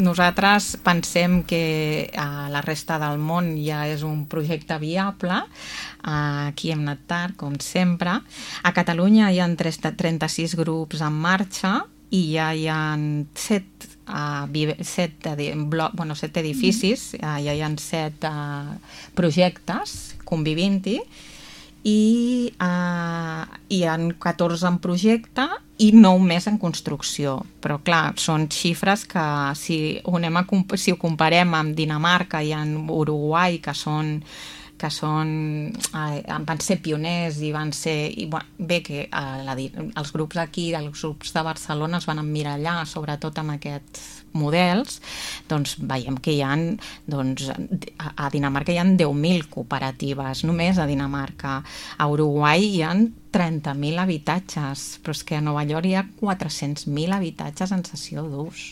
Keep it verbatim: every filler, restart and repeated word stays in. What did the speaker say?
nosaltres pensem que a la resta del món ja és un projecte viable. Aquí hem anat tard, com sempre. A Catalunya hi ha trenta-sis grups en marxa i ja hi ha set, uh, set, bloc, bueno, set edificis, uh, ja hi ha set uh, projectes convivint-hi i uh, hi ha catorze en projecte i nou més en construcció. Però clar, són xifres que si ho, anem a, si ho comparem amb Dinamarca i amb Uruguai, que són que són, eh, van ser pioners i van ser... I, bueno, bé, que eh, la, els grups aquí, els grups de Barcelona es van emmirallar, sobretot amb aquests models, doncs veiem que hi ha, doncs, a Dinamarca hi ha deu mil cooperatives, només a Dinamarca. A Uruguai hi ha trenta mil habitatges, però és que a Nova York hi ha quatre-cents mil habitatges en cessió d'ús.